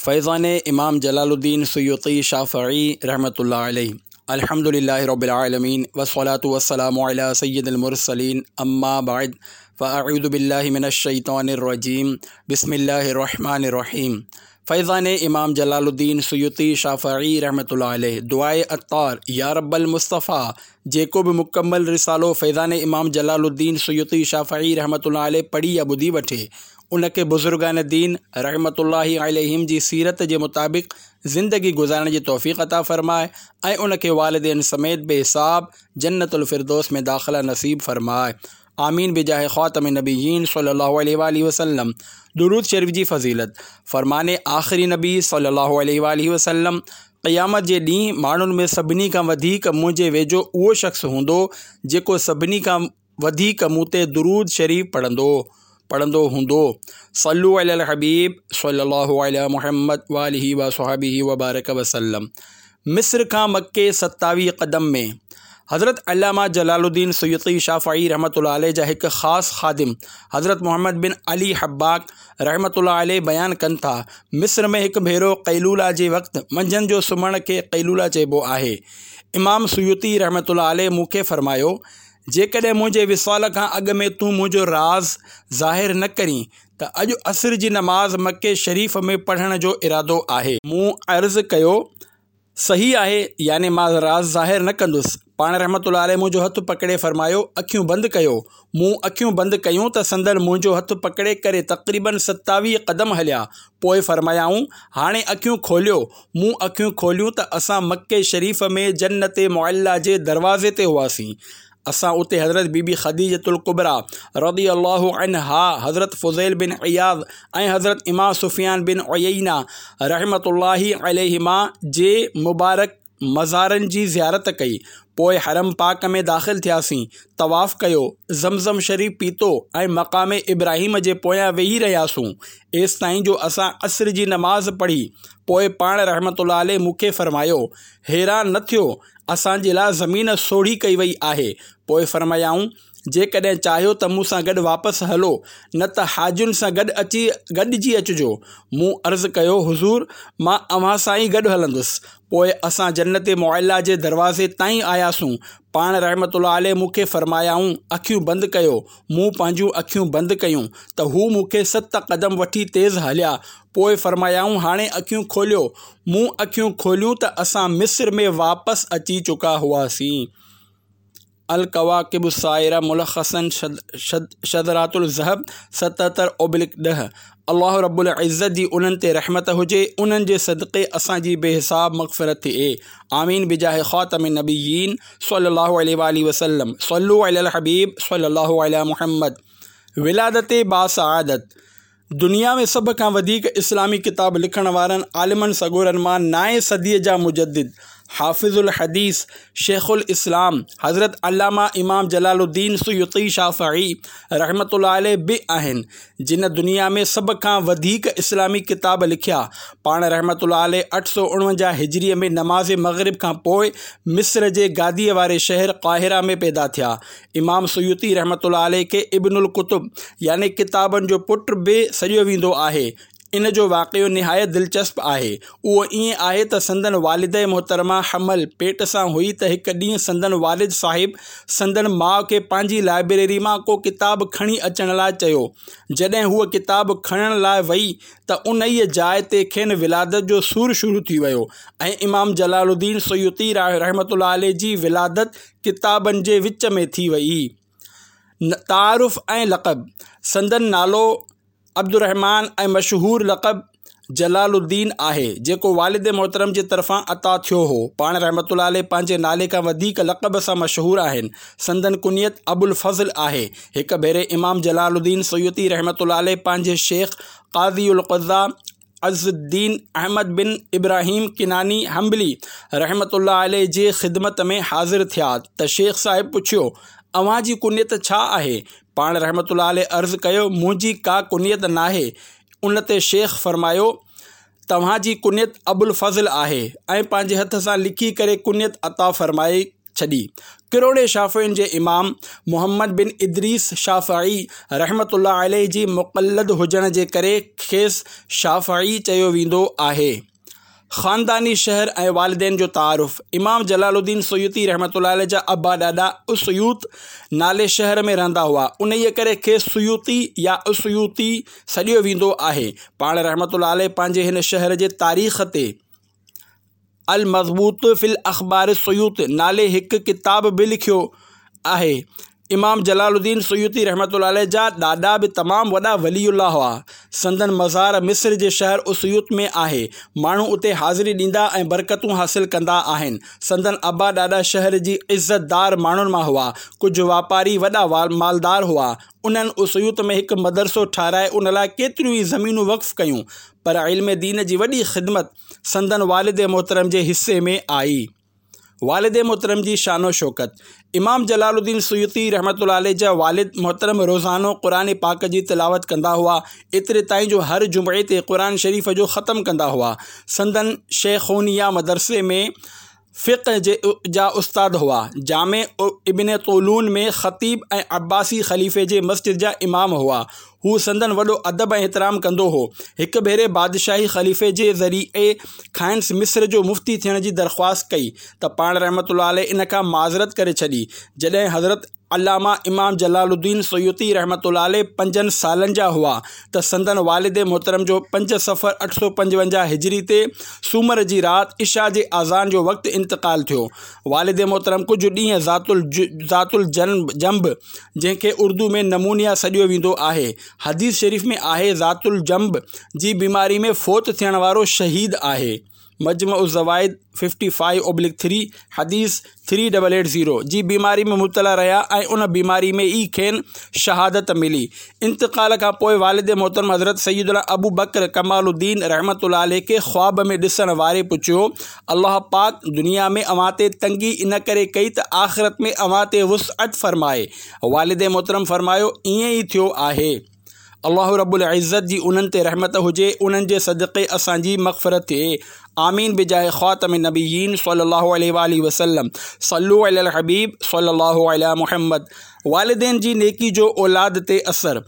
فيضان امام جلال الدين سيوطي شافعي رحمة الله عليه الحمد لله رب العالمين والصلاة والسلام على سيد المرسلين اما بعد فاعوذ بالله من الشيطان الرجيم بسم الله الرحمن الرحيم فيضان امام جلال الدين سيوطي شافعي رحمة الله عليه دعاء عطار يا رب المصطفيٰ جيڪو به مڪمل رسالو فيضان امام جلال الدين سيوطي شافعي رحمة الله عليه پڙهي يا ٻڌي وٺي ان کي بزرگان دين رحمة الله عليهم جي سيرت جي مطابق زندگي گذارڻ جي توفيق عطا فرماء ۽ ان کي والدين سميت بي حساب جنت الفردوس ۾ داخله نصيب فرماء آمين بجاه خاتم النبيين صلي الله عليه واٰله وسلم درود شريف جي فضيلت فرمان آخري نبي صلي الله عليه واٰله وسلم قيامت جي ڏينهن ماڻهن ۾ سڀني کان وڌيڪ منهنجي ويجهو اهو شخص هوندو جيڪو سڀني کان وڌيڪ مون تي درود شريف پڙهندو پڙهندو هوندو صلو علی الحبيب صلي الله علي محمد واله وصحبه وبارڪ وسلم مصر کان مڪي 27 قدم ۾ حضرت علامه جلال الدين سيوطي شافعي رحمة الله عليه جا هڪ خاص خادم حضرت محمد بن علي حباڪ رحمة الله عليه بيان ڪن ٿا مصر ۾ هڪ ڀيرو قيلوله جي وقت منجهند جو سمهڻ کي قيلوله چئبو آهي امام سيوطي رحمة الله عليه مون کي فرمايو جيڪڏهن منهنجي وصال کان اڳ ۾ تون منهنجو راز ظاهر نه ڪرين ته اڄ عصر جي نماز مڪي شريف ۾ پڙهڻ جو ارادو آهي. مون عرض ڪيو، صحيح آهي، يعني مان راز ظاهر نه ڪندس. پاڻ رحمة الله عليه منهنجو هٿ پڪڙي فرمايو، اکيون بند ڪيو. مون اکيون بند ڪيون ته سندن منهنجو هٿ پڪڙي ڪري تقريباً 27 قدم هليا. پوء فرمايائون، هاڻي اکيون کوليو. مون اکيون کوليون ته اسان مڪي شريف ۾ جنت معليٰ جي دروازي تي هئاسين. اسان اتي حضرت بي بي خديجة الڪبريٰ رضي الله عنها، حضرت فضيل بن عياض ۽ حضرت امام سفيان بن عيينه رحمة الله عليهما جي مبارڪ مزارن جي زيارت ڪئي. پوء حرم پاڪ ۾ داخل ٿياسين، طواف ڪيو، زمزم شريف پيتو ۽ مقام ابراهيم جي پويان ويهي رهياسون، ايستائين جو اسان عصر جي نماز پڙهي. پوء پاڻ رحمة الله عليه مون کي فرمايو، حيران نه ٿيو، اسان جي لاء زمين سوڙهي ڪئي وئي آهي. پوء فرمايائون، جيڪڏهن چاهيو ته مون سان گڏ واپس هلو، نه ته حاجين سان گڏ اچي گڏجي اچجو. مون عرض ڪيو، حضور! مان اوهان سان ئي گڏ هلندس. پوء اسان جنت معليٰ جي دروازي تائين آياسون. پاڻ رحمة الله عليه مون کي فرمايائون، اکيون بند ڪيو. مون پنهنجون اکيون بند ڪيون ته هو مون کي ست قدم وٺي تيز هليا. پوء فرمايائون، هاڻي اکيون کوليو. مون اکيون کوليون ته اسان مصر ۾ واپس اچي چڪا هئاسين. الڪواڪب السائره ملخصا شذرات الذهب 77/10 الله رب العزت جي انهن تي رحمت هجي انهن جي صدقي اسان جي بي حساب مغفرت ٿئي آمين بجاه خاتم النبيين صلي الله عليه واله وسلم صلو علي الحبيب صلي الله علي محمد ولادت باسعادت دنيا ۾ سڀ کان وڌيڪ اسلامي ڪتاب لکڻ وارن عالمن سڳورن مان نائين صديء جا مجدد، حافظ الحديث، شيخ الاسلام حضرت علامه امام جلال الدين سيوطي شافعي رحمة الله عليه به آهن، جن دنيا ۾ سڀ کان وڌيڪ اسلامي ڪتاب لکيا. پاڻ رحمة الله عليه 849 هجريء ۾ نماز مغرب کان پوء مصر جي گاديء واري شهر قاهره ۾ پيدا ٿيا. امام سيوطي رحمة الله عليه کي ابن الڪتب يعني ڪتابن جو پٽ به سڏيو ويندو آهي. ان جو واقعو نهايت دلچسپ آهي. اهو ائين آهي ته سندن والده محترمه حمل پيٽ سان هئي ته هڪ ڏينهن سندن والد صاحب سندن ماء کي پنهنجي لائبريري مان ڪو ڪتاب کڻي اچڻ لاء چيو. جڏهن هوء ڪتاب کڻڻ لاء وئي ته انهيء جاء تي کين ولادت جو سور شروع ٿي ويو ۽ امام جلال الدين سيوطي رحمة الله عليه جي ولادت ڪتابن جي وچ ۾ ٿي ويئي. تعارف ۽ لقب، سندن نالو عبدالرحمان ۽ مشهور لقب جلال الدين آهي، جيڪو والد محترم جي طرفان عطا ٿيو هو. پاڻ رحمة الله عليه پنهنجي نالي کان وڌيڪ لقب سان مشهور آهن. سندن ڪنيت ابوالفضل آهي. هڪ ڀيري امام جلال الدين سيوطي رحمة الله عليه پنهنجي شيخ قاضي القضاة عز الدين احمد بن ابراهيم ڪناني حنبلي رحمة الله عليه جي خدمت ۾ حاضر ٿيا ته شيخ صاحب پڇيو، اوهان جي ڪنيت ڇا آهي؟ پاڻ رحمة الله عليه عرض ڪيو، منهنجي ڪا ڪنيت ناهي. ان تي شيخ فرمايو، توهان جي ڪنيت ابوالفضل آهي ۽ پنهنجي هٿ سان لکي ڪري ڪنيت عطا فرمائي. ڇڏي. ڪروڙين شافعين جي امام محمد بن ادريس شافعي رحمة الله عليه جي مقلد هجڻ جي ڪري کيس شافعي چيو ويندو آهي. خانداني شهر ۽ والدين جو تعارف، امام جلال الدين سيوطي رحمة الله عليه جا ابا ڏاڏا اسيوط نالي شهر ۾ رهندا هئا، انهيء ڪري کيس سيوطي يا اسيوطي سڏيو ويندو آهي. پاڻ رحمة الله عليه پنهنجي هن شهر جي تاريخ تي المضبوط في الاخبار السيوط نالي هڪ ڪتاب به لکيو آهي. امام جلال الدين سيوطي رحمة الله عليه جا ڏاڏا به تمام وڏا ولي الله هئا. سندن مزار مصر جي شهر اسيوط ۾ آهي. ماڻهو اتي حاضري ڏيندا ۽ برڪتون حاصل ڪندا آهن. سندن ابا ڏاڏا شهر جي عزت دار ماڻهن مان هئا. ڪجهه واپاري وڏا مالدار هئا. انهن اسيوط ۾ هڪ مدرسو ٺهرائي ان لاء ڪيتريون ئي زمينون وقف ڪيون. پر علم دين جي وڏي خدمت سندن والد محترم جي حصي ۾ آئي. والد محترم جي شان و شوڪت، امام جلال الدين سيوطي رحمة الله عليه جا والد محترم روزانو قرآن پاڪ جي تلاوت ڪندا هئا، ايتري تائين جو هر جمعي تي قرآن شريف جو ختم ڪندا هئا. سندن شيخونيه مدرسي ۾ فقه جا استاد هئا. جامع ابن طولون ۾ خطيب ۽ عباسي خليفي جي مسجد جا امام هئا. هو سندن وڏو ادب ۽ احترام ڪندو هو. هڪ ڀيري بادشاهي خليفي جي ذريعي کانئس مصر جو مفتي ٿيڻ جي درخواست ڪئي ته پاڻ رحمة الله عليه ان کان معذرت ڪري ڇڏي. جڏهن حضرت علامه امام جلال الدين سيوطي رحمة الله عليه پنجن سالن جا هئا ته سندن والد محترم جو پنج صفر 855 هجري تي سومر جي رات عشاء جي اذان جو وقت انتقال ٿيو. والد محترم ڪجهه ڏينهن ذات الجنب جنهن کي اردو ۾ نمونيا سڏيو ويندو آهي، حديث شريف ۾ آهي ذات الجنب جي بيماري ۾ فوت ٿيڻ وارو شهيد آهي. مجمع الزوائد 55/3 حديث 3880 جي بيماري ۾ مبتلا رهيا ۽ ان بيماري ۾ ئي کين شهادت ملي. انتقال کان پوء والد محترم حضرت سيدنا ابوبڪر ڪمال الدين رحمة الله عليه کي خواب ۾ ڏسڻ واري پڇيو، الله پاڪ دنيا ۾ اوهان تي تنگي ان ڪري ڪئي ته آخرت ۾ اوهان تي وسعت فرمائي. والد محترم فرمايو، ائين ئي ٿيو آهي. الله رب العزت جي انهن تي رحمت هجي انهن جي صدقي اسان جي مغفرت ٿئي آمين بجاه خاتم النبيين صلي الله عليه واله وسلم صلو علي الحبيب صلي الله علي محمد والدين جي نيڪي جو اولاد تي اثر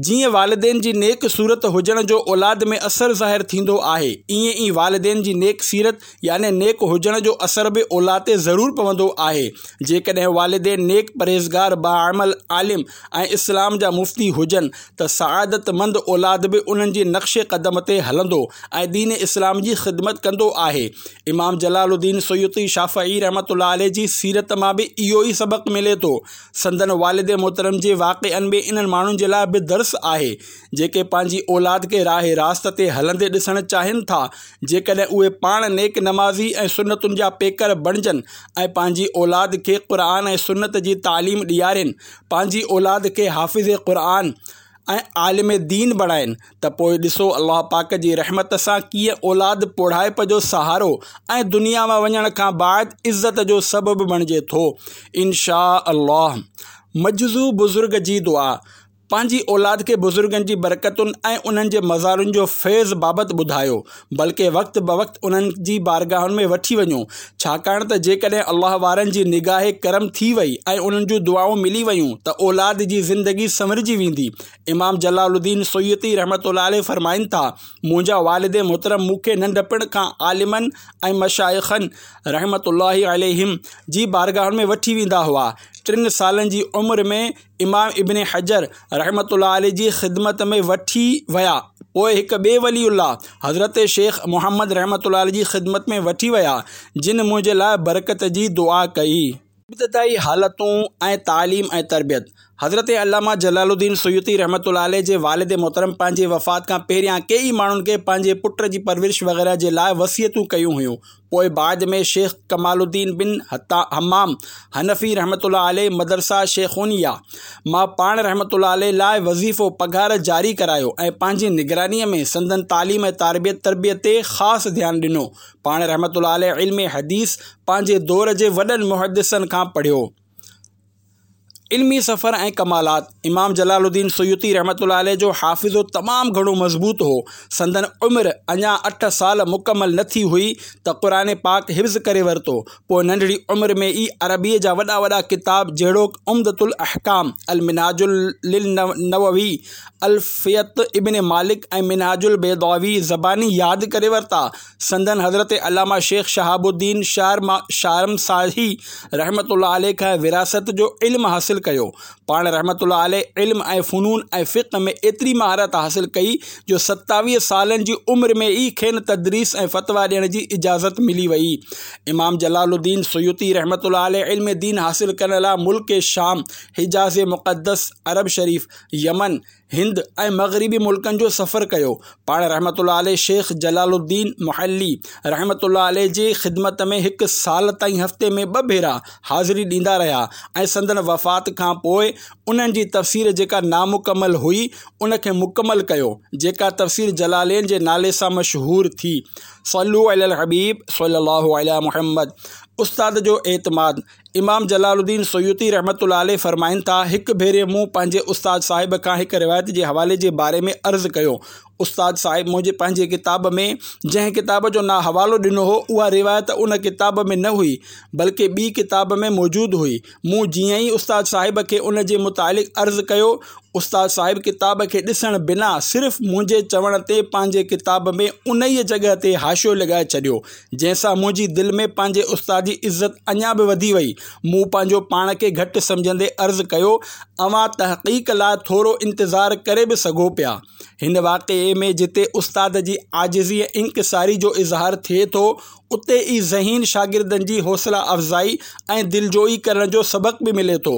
جيئن والدين جي نيڪ صورت هجڻ جو اولاد ۾ اثر ظاهر ٿيندو آهي ائين ئي والدين جي نيڪ سيرت يعني نيڪ هجڻ جو اثر به اولاد تي ضرور پوندو آهي. جيڪڏهن والدين نيڪ، پرهيزگار، باعمل، عالم ۽ اسلام جا مفتي هجن ته سعادتمند اولاد به انهن جي نقش قدم تي هلندو ۽ دين اسلام جي خدمت ڪندو آهي. امام جلال الدين سيوطي شافعي رحمة الله عليه جي سيرت مان به اهو ئي سبق ملي ٿو. سندن والد محترم جي واقعن ۾ انهن ماڻهن جي لاء به درس آهي، جيڪي پنهنجي اولاد کي راهه راست تي هلندي ڏسڻ چاهين ٿا. جيڪڏهن اهي پاڻ نيڪ نمازي ۽ سنتن جا پيڪر بڻجن ۽ پنهنجي اولاد کي قرآن ۽ سنت جي تعليم ڏيارين، پنهنجي اولاد کي حافظ قرآن ۽ عالم دين بڻائين ته پوء ڏسو الله پاڪ جي رحمت سان ڪيئن اولاد پوڙهائپ جو سهارو ۽ دنيا مان وڃڻ کان بعد عزت جو سبب بڻجي ٿو. ان شاء الله. مجذوب بزرگ جي دعا. پنهنجي اولاد کي بزرگن جي برڪتن ۽ انهن جي مزارن جو فيض بابت ٻڌايو، بلڪه وقت بوقت انهن جي بارگاهن ۾ وٺي وڃو، ڇاڪاڻ ته جيڪڏهن الله وارن جي نگاهه ڪرم ٿي وئي ۽ انهن جون دعائون ملي ويون ته اولاد جي زندگي سنورجي ويندي. امام جلال الدين سيوطي رحمة الله عليه فرمائن ٿا، منهنجا والد محترم مون کي ننڍپڻ کان عالمن ۽ مشائخن رحمة الله عليهم جي بارگاهن ۾ وٺي ويندا هئا، ٽن سالن جي عمر ۾ امام ابن حجر رحمة الله عليه جي خدمت ۾ وٺي ويا پوء هڪ ٻئي ولي الله حضرت شيخ محمد رحمة الله عليه جي خدمت ۾ وٺي ويا جن منهنجي لاء برڪت جي دعا ڪئي. ابتدائي حالتون ۽ تعليم ۽ تربيت، حضرت علامه جلال الدين سيوطي رحمة الله عليه جي والد محترم پنهنجي وفات کان پهريان ڪيئي ماڻهن کي پنهنجي پٽ جي پرورش وغيره جي لاء وصيتون ڪيون هيون پوء بعد ۾ شيخ ڪمال الدين بن همام حنفي رحمة الله عليه مدرسه شيخونيه مان پاڻ رحمة الله عليه لاء وظيفو، پگهار، جاري ڪرايو ۽ پنهنجي نگرانيء ۾ سندن تعليم ۽ تربيت تربيت تي خاص ڌيان ڏنو. پاڻ رحمة الله عليه علم حديث پنهنجي دور جي وڏن محدثن کان پڙهيو. علمي سفر ۽ ڪمالات، امام جلال الدين سيوطي رحمة الله عليه جو حافظو تمام گهڻو مضبوط هو. سندن عمر اڃا اٺ سال مڪمل نه ٿي هئي ته قرآن پاڪ حفظ ڪري ورتو. پوء ننڍڙي عمر ۾ ئي عربيء جا وڏا وڏا ڪتاب جهڙوڪ عمدة الاحڪام، المنهاج للنووي، الفية ابن مالڪ ۽ منهاج البيضاوي زباني ياد ڪري ورتا. سندن حضرت علامه شيخ شهاب الدين شارمساهي رحمة الله عليه کان وراثت جو علم حاصل ڪيو. پاڻ رحمة الله عليه علم ۽ فنون ۽ فقه ۾ ايتري مهارت حاصل ڪئي جو 27 سالن جي عمر ۾ ئي کين تدريس ۽ فتويٰ ڏيڻ جي اجازت ملي وئي. امام جلال الدين سيوطي رحمة الله عليه علم دين حاصل ڪرڻ لاء ملڪ شام، حجاز مقدس، عرب شريف، يمن، هند ۽ مغربي ملڪن جو سفر ڪيو. پاڻ رحمة الله عليه شيخ جلال الدين محلي رحمة الله عليه جي خدمت ۾ هڪ سال تائين هفتي ۾ ٻه ڀيرا حاضري ڏيندا رهيا ۽ سندن وفات کان پوء انهن جي تفسير جيڪا نامڪمل هئي ان کي مڪمل ڪيو جيڪا تفسير جلالين جي نالي سان مشهور ٿي. صلو علي الحبيب صلي الله علي محمد استاد جو اعتماد امام جلال الدين سيوطي رحمة الله عليه فرمائن ٿا، هڪ ڀيري مون پنهنجي استاد صاحب کان هڪ روايت جي حوالي جي باري ۾ عرض ڪيو. استاد صاحب منهنجي پنهنجي ڪتاب ۾ جنهن ڪتاب جو نا حوالو ڏنو هو، اها روايت ان ڪتاب ۾ نه هئي، بلڪه ٻي ڪتاب ۾ موجود هئي. مون جيئن ئي استاد صاحب کي ان جي متعلق عرض ڪيو، استاد صاحب ڪتاب کي ڏسڻ بنا صرف منهنجي چوڻ تي پنهنجي ڪتاب ۾ انهيء جڳهه تي حاشيو لڳائي ڇڏيو، جنهن سان منهنجي دل ۾ پنهنجي استاد جي عزت اڃا به وڌي وئي. مون پنهنجو پاڻ کي گهٽ سمجهندي عرض ڪيو، اوهان تحقيق لاء ٿورو انتظار ڪري به سگهو پيا. هن واقعي ۾ جتي استاد جي عاجزي ۽ انڪساري جو اظهار ٿئي ٿو، اتي ئي ذهين شاگردن جي حوصله افزائي ۽ دلجوئي ڪرڻ جو سبق به ملي ٿو.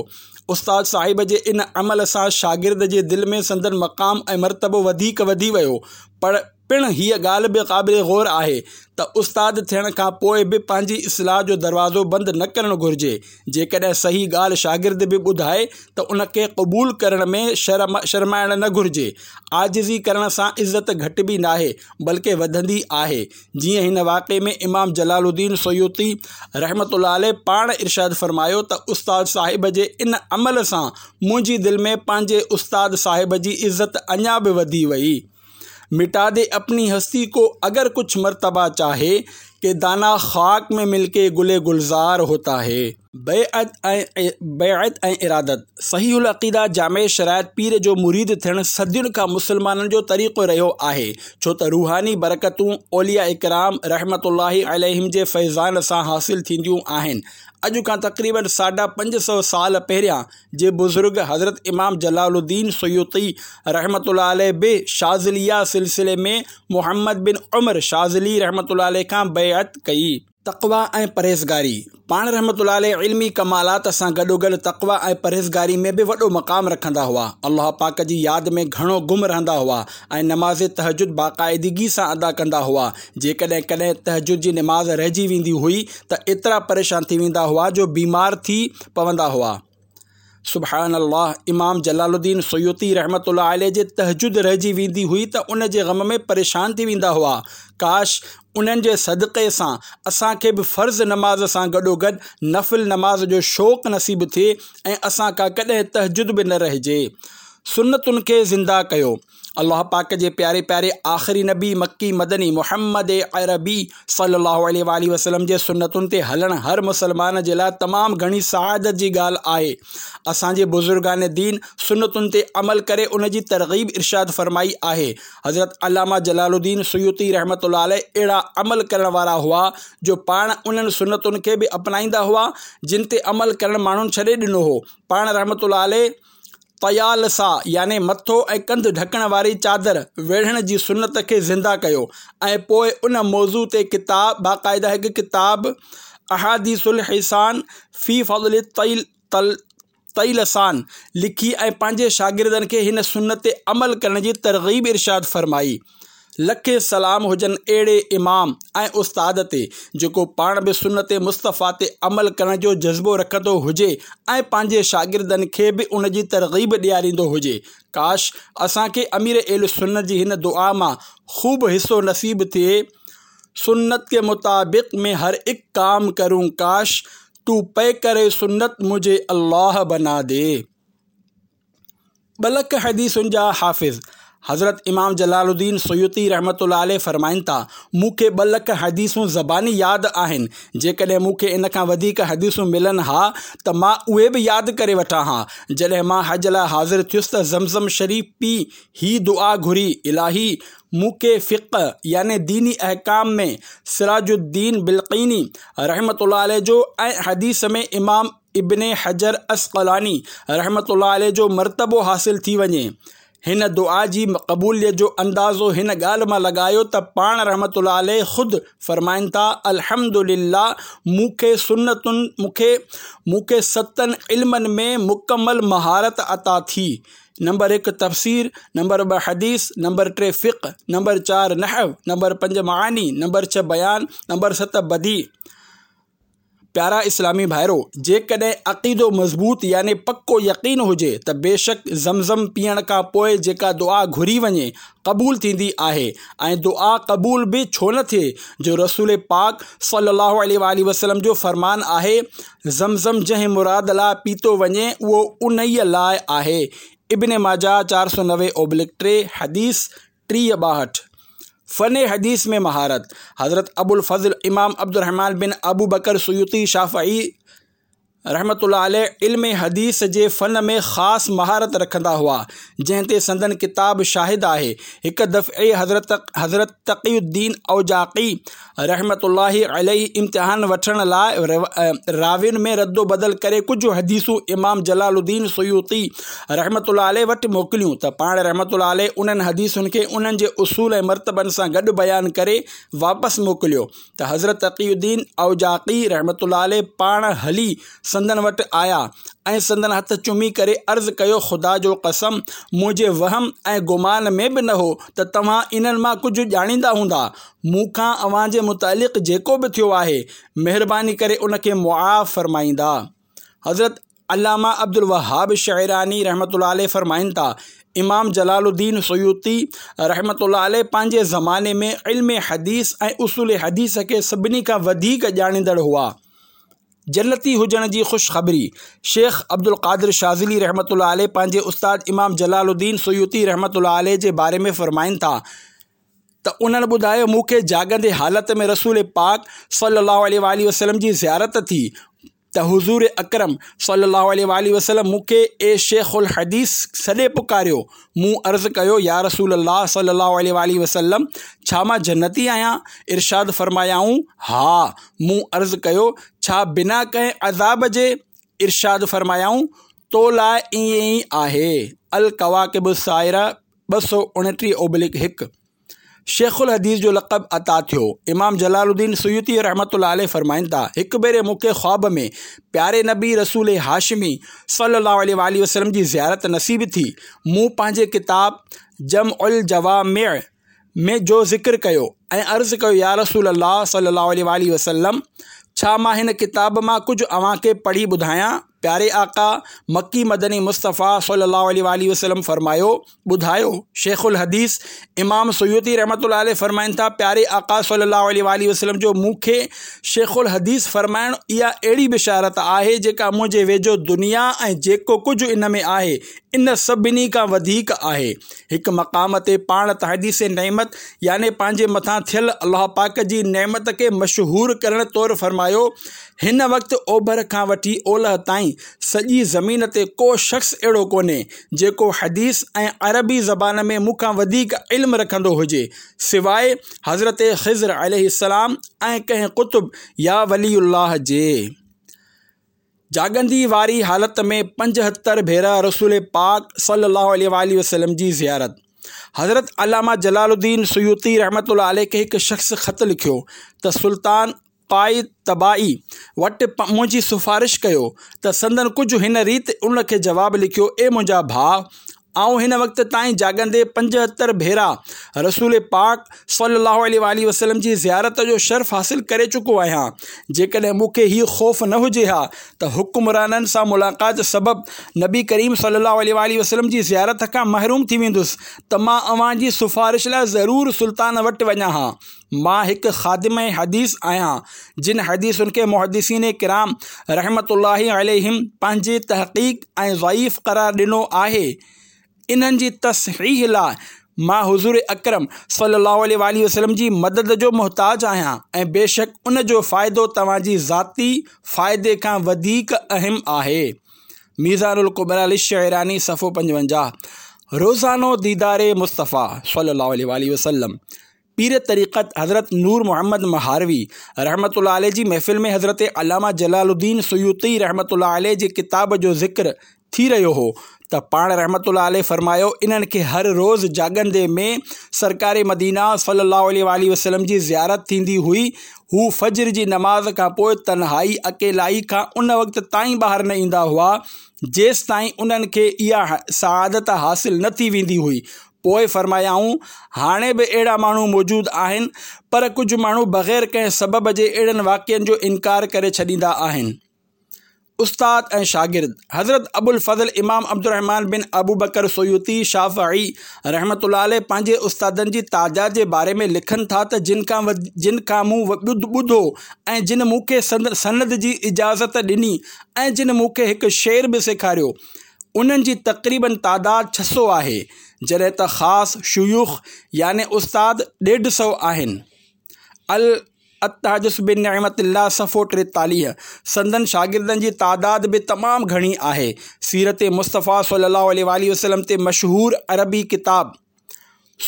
استاد صاحب جي ان عمل سان شاگرد جي دل ۾ سندن مقام ۽ مرتبو وڌيڪ وڌي ويو. پر پڻ هيء ڳالهه به قابل غور آهي ته استاد ٿيڻ کان پوء به پنهنجي اصلاح جو دروازو بند نه ڪرڻ گهرجي. جيڪڏهن صحيح ڳالهه شاگرد به ٻڌائي ته ان کي قبول ڪرڻ ۾ شرمائڻ نه گهرجي. عاجزي ڪرڻ سان عزت گهٽبي ناهي بلڪه وڌندي آهي. جيئن هن واقعي ۾ امام جلال الدين سيوطي رحمة الله عليه پاڻ ارشاد فرمايو ته استاد صاحب جي ان عمل سان منهنجي دل ۾ پنهنجي استاد صاحب جي عزت اڃا به وڌي وئي. مٽا the اپني هستي ڪو اگر ڪجهه مرتبه چاهي ڪه دانا خاڪ ۾ مل ڪي گل گلزار هوتا هي. بيعت ۽ بيعت ۽ ارادت، صحيح العقيده جامع شرائط پير جو مريد ٿيڻ صدين کان مسلمانن جو طريقو رهيو آهي، ڇو ته روحاني برڪتون اولياء ڪرام رحمة الله عليهم جي فيضان سان حاصل ٿينديون آهن. اڄ کان تقريباً ساڍا پنج سؤ سال پهريان جي بزرگ حضرت امام جلال الدين سيوطي رحمة الله عليه به شاذليه سلسلي ۾ محمد بن عمر شاذلي رحمة الله عليه کان بيعت ڪئي. تقويٰ ۽ پرهيزگاري، پاڻ رحمة الله عليه علمي ڪمالات سان گڏوگڏ تقويٰ ۽ پرهيزگاري ۾ به وڏو مقام رکندا هئا. الله پاڪ جي ياد ۾ گهڻو گم رهندا هئا ۽ نماز تهجد باقاعدگي سان ادا ڪندا هئا. جيڪڏهن ڪڏهن تهجد جي نماز رهجي ويندي هئي ته ايترا پريشان ٿي ويندا هئا جو بيمار ٿي پوندا هئا. سبحان الله امام جلال الدين سيوطي رحمة الله عليه جي تهجد رهجي ويندي هئي ته ان جي غم ۾ پريشان ٿي ويندا هئا. ڪاش انهن جي صدقي سان اسان کي به فرض نماز سان گڏوگڏ نفل نماز جو شوق نصيب ٿئي ۽ اسان کان ڪڏهن تهجد به نه رهجي. سنتن کي زنده ڪيو. الله پاڪ جي پياري پياري آخري نبي مڪي مدني محمد عربي صلي الله عليه واٰله وسلم جي سنتن تي هلڻ هر مسلمان جي لاء تمام گهڻي سعادت جي ڳالهه آهي. اسان جي بزرگان دين سنتن تي عمل ڪري ان جي ترغيب ارشاد فرمائي آهي. حضرت علامه جلال الدين سيوطي رحمة الله عليه اهڙا عمل ڪرڻ وارا هئا جو پاڻ انهن سنتن کي به اپنائيندا هئا جن تي عمل ڪرڻ ماڻهن ڇڏي ڏنو هو. پاڻ رحمة الله عليه طيالسه يعني مٿو ۽ ڪنڌ ڍڪڻ واري چادر ويڙهڻ جي سنت کي زنده ڪيو ۽ پوء ان موضوع تي ڪتاب باقاعده هڪ ڪتاب احاديث الحسان في فضل الطيلسان لکي ۽ پنهنجي شاگردن کي هن سنت تي عمل ڪرڻ جي ترغيب ارشاد فرمائي. لکين سلام هجن اهڙي امام ۽ استاد تي جيڪو پاڻ به سنت مصطفيٰ تي عمل ڪرڻ جو جذبو رکندو هجي ۽ پنهنجي شاگردن کي به ان جي ترغيب ڏياريندو هجي. ڪاش اسان کي امير اهل سنت جي هن دعا مان خوب حصو نصيب ٿئي سنت ڪي مطابق مين هر اڪ ڪام ڪرون ڪاش. تو پيڪر سنت مجهي الله بنا the. 2 lakh حديثن جا حافظ حضرت امام جلال الدين سيوطي رحمة الله عليه فرمائن ٿا، مون کي 2 لک حديثون زباني ياد آهن، جيڪڏهن مون کي ان کان وڌيڪ حديثون ملن ها ته مان اهي به ياد ڪري وٺان ها. جڏهن مان حج لاء حاضر ٿيس ته زمزم شريف پي هي دعا گهري، الاهي! مون کي فقه يعني ديني احڪام ۾ سراج الدين بلقيني رحمة الله عليه جو ۽ حديث ۾ امام ابن حجر عسقلاني رحمة الله عليه جو مرتبو حاصل ٿي وڃي. هن دعا جي قبوليت جو اندازو هن ڳالهه مان لڳايو ته پاڻ رحمة الله عليه خود فرمائن ٿا، الحمد لله مون کي سنتن مون کي مون کي ستن علمن ۾ مڪمل مهارت عطا ٿي. نمبر هڪ تفسير، نمبر ٻه حديث، نمبر ٽي فقه، نمبر چار نحو، نمبر پنج معاني، نمبر ڇهه بيان، نمبر ست بديع. پيارا اسلامي ڀائرو! جيڪڏهن عقيدو مضبوط يعني پڪو يقين هجي ته بيشڪ زمزم پيئڻ کان پوء جيڪا دعا گهري وڃي قبول ٿيندي آهي ۽ دعا قبول به ڇو نه ٿئي جو رسول پاڪ صلي الله عليه واٰله وسلم جو فرمان آهي، زمزم جنهن مراد لاء پيتو وڃي اهو انهيء لاء آهي ابن ماجه 490/3 حديث 30 62. فن حديث ۾ مهارت، حضرت ابوالفضل امام عبدالرحمان بن ابوبڪر سيوطي شافعي رحمة الله عليه علم حديث جي فن ۾ خاص مهارت رکندا هئا، جنهن تي سندن ڪتاب شاهد آهي. هڪ دفعي حضرت حضرت تقي الدين اوجاقي رحمة الله عليه امتحان وٺڻ لاء راوين ۾ ردوبدل ڪري ڪجهه حديثون امام جلال الدين سيوطي رحمة الله عليه وٽ موڪليون ته پاڻ رحمة الله عليه انهن حديثن کي انهن جي اصول ۽ مرتبن سان گڏ بيان ڪري واپس موڪليو ته حضرت تقي الدين اوجاقي رحمة الله عليه پاڻ هلي سندن وٽ آيا ۽ سندن هٿ چمي ڪري عرض ڪيو خدا جو قسم منهنجي وهم ۽ گمان ۾ به نه هو ته توهان انهن مان ڪجهه ڄاڻيندا هوندا مون کان اوهان جي متعلق جيڪو به ٿيو آهي مهرباني ڪري ان کي معاف فرمائيندا. حضرت علامه عبدالوهاب شعراني رحمة الله عليه فرمائن ٿا امام جلال الدين سيوطي رحمة الله عليه پنهنجي زماني ۾ علم حديث ۽ اصول حديث کي سڀني کان وڌيڪ ڄاڻيندڙ هئا. جنتي هجڻ جي خوشخبري شيخ عبدالقادر شاذلي رحمة الله عليه پنهنجي استاد امام جلال الدين سيوطي رحمة الله عليه جي باري ۾ فرمائن ٿا ته انهن ٻڌايو مون کي جاڳندي حالت ۾ رسول پاڪ صلي الله عليه واٰله وسلم جي زيارت ٿي ته حضور اڪرم صلي الله عليه واٰله وسلم مون کي اي شيخ الحديث سڏي پڪاريو مون عرض ڪيو يا رسول الله صلي الله عليه واٰله وسلم ڇا مان جنتي آهيان؟ ارشاد فرمايائون ها مون عرض ڪيو ڇا بنا ڪنهن عذاب جي؟ ارشاد فرمايائون تو لاء ائين ئي آهي الڪواڪب السائره 229/1. شيخ الحديث جو لقب عطا ٿيو. امام جلال الدين سيوطي رحمة الله عليه فرمائن ٿا، هڪ ڀيري مون کي خواب ۾ پياري نبي رسول هاشمي صلي الله عليه واٰله وسلم جي زيارت نصيب ٿي. مون پنهنجي ڪتاب جمع الجوامع ۾ جو ذڪر ڪيو ۽ عرض ڪيو يا رسول الله صلي الله عليه واٰله وسلم ڇا مان هن ڪتاب مان ڪجهه اوهان کي پڙهي ٻڌايان؟ پياري آقا مڪي مدني مصطفيٰ صلي الله عليه واٰله وسلم فرمايو، ٻڌايو، شيخ الحديث امام سيوطي رحمة الله عليه فرمائن ٿا، پياري آقا صلي الله عليه واٰله وسلم جو مون کي شيخ الحديث فرمائڻ اها اهڙي بشارت آهي جيڪا منهنجي ويجهو دنيا ۽ جيڪو ڪجهه ان ۾ آهي ان سڀني کان وڌيڪ آهي. هڪ مقام تي پاڻ تحديث نعمت يعني پنهنجي مٿان ٿيل الله پاڪ جي نعمت کي مشهور ڪرڻ طور فرمايو، هن وقت اوڀر کان وٺي اولهه تائين سڄي زمين تي ڪو شخص اهڙو ڪونهي جيڪو حديث ۽ عربي زبان ۾ مون کان وڌيڪ علم رکندو هجي سواء حضرت خضر عليه السلام ۽ ڪنهن قطب يا ولي الله جي. جاڳندي واري حالت ۾ 75 ڀيرا رسول پاڪ صلي الله عليه واٰله وسلم جي زيارت. حضرت علامه جلال الدين سيوطي رحمة الله عليه کي هڪ شخص خط لکيو ته سلطان قائتبائي وٽ منهنجي سفارش ڪيو ته سندن ڪجهه هن ريت ان کي جواب لکيو اي منهنجا ڀاء! آئون هن وقت تائين جاڳندي 75 ڀيرا رسول پاڪ صلي الله عليه واٰله وسلم جي زيارت جو شرف حاصل ڪري چڪو آهيان. جيڪڏهن مون کي هي خوف نه هجي ها ته حڪمرانن سان ملاقات سبب نبي ڪريم صلي الله عليه واٰله وسلم جي زيارت کان محروم ٿي ويندس ته مان اوهان جي سفارش لاء ضرور سلطان وٽ وڃان ها. مان هڪ خادم حديث آهيان، جن حديثن کي محدثين ڪرام رحمة الله عليهم پنهنجي تحقيق ۽ ضعيف قرار ڏنو آهي، انهن جي تصحيح لاء مان حضور اڪرم صلي الله عليه واٰله وسلم جي مدد جو محتاج آهيان ۽ بيشڪ ان جو فائدو توهان جي ذاتي فائدي کان وڌيڪ اهم آهي. ميزان الڪبريٰ للشعراني صفحو 55. روزانو ديدار مصطفيٰ صلي الله عليه واٰله وسلم. پير طريقت حضرت نور محمد مهاروي رحمة الله عليه جي محفل ۾ حضرت علامه جلال الدين سيوطي رحمة الله عليه جي ڪتاب جو ذڪر ٿي رهيو هو ته پاڻ رحمة الله عليه فرمايو، انهن کي هر روز جاڳندي ۾ سرڪار مدينه صلي الله عليه واٰله وسلم جي زيارت ٿيندي هئي، هو فجر جي نماز کان پوء تنهائي، اڪيلائي، کان ان وقت تائين ٻاهر نه ايندا هئا، جيستائين انهن کي اها سعادت حاصل نه ٿي ويندي هئي. پوء فرمايائون، هاڻي به اهڙا ماڻهو موجود آهن، پر ڪجهه ماڻهو بغير ڪنهن سبب جي اهڙن واقعن جو انڪار ڪري ڇڏيندا آهن. استاد ۽ شاگرد، حضرت ابوالفضل امام عبدالرحمان بن ابوبڪر سيوطي شافعي رحمة الله عليه پنهنجي استادن جي تعداد جي باري ۾ لکن ٿا ته جن کان جن کان مون ٻڌو ۽ جن مون کي سند جي اجازت ڏني ۽ جن مون کي هڪ شعر به سيکاريو انهن جي تقريباً تعداد 600 آهي، جڏهن ته خاص شيوخ يعني استاد ڏيڍ سئو آهن. التحدث بنعمت الله صفحو 43. سندن شاگردن جي تعداد به تمام گهڻي آهي. سيرت مصطفيٰ صلي الله عليه واٰله وسلم تي مشهور عربي ڪتاب